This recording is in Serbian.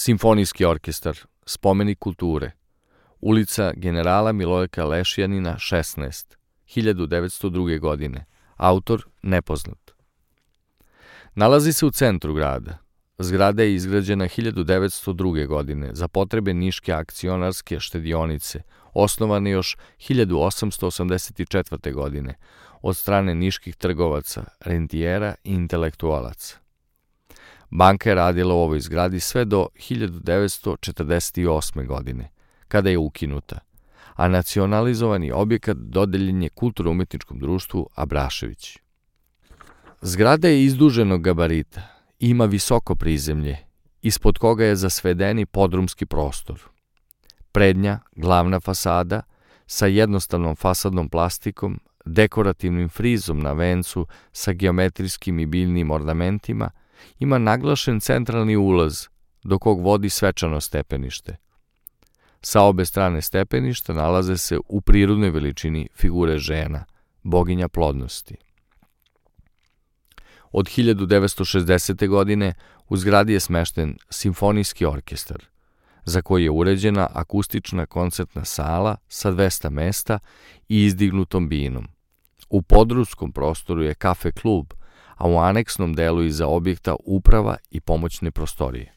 Simfonijski orkestar, spomenik kulture, ulica generala Milojka Lešjanina 16, 1902. godine, autor nepoznat. Nalazi se u centru grada. Zgrada je izgrađena 1902. godine za potrebe Niške akcionarske štedionice, osnovane još 1884. godine od strane niških trgovaca, rentijera i intelektualaca. Banka je radila u ovoj zgradi sve do 1948. godine, kada je ukinuta, a nacionalizovani objekat dodeljen je Kulturno-umetničkom društvu Abrašević. Zgrada je izduženog gabarita, ima visoko prizemlje, ispod koga je zasvedeni podrumski prostor. Prednja, glavna fasada, sa jednostavnom fasadnom plastikom, dekorativnim frizom na vencu sa geometrijskim i biljnim ornamentima, ima naglašen centralni ulaz, do kog vodi svečano stepenište. Sa obe strane stepeništa nalaze se u prirodnoj veličini figure žena, boginja plodnosti. Od 1960. godine u zgradi je smešten Simfonijski orkestar, za koji je uređena akustična koncertna sala sa 200 mesta i izdignutom binom. U podrumskom prostoru je kafe klub, a u aneksnom delu iza objekta uprava i pomoćne prostorije.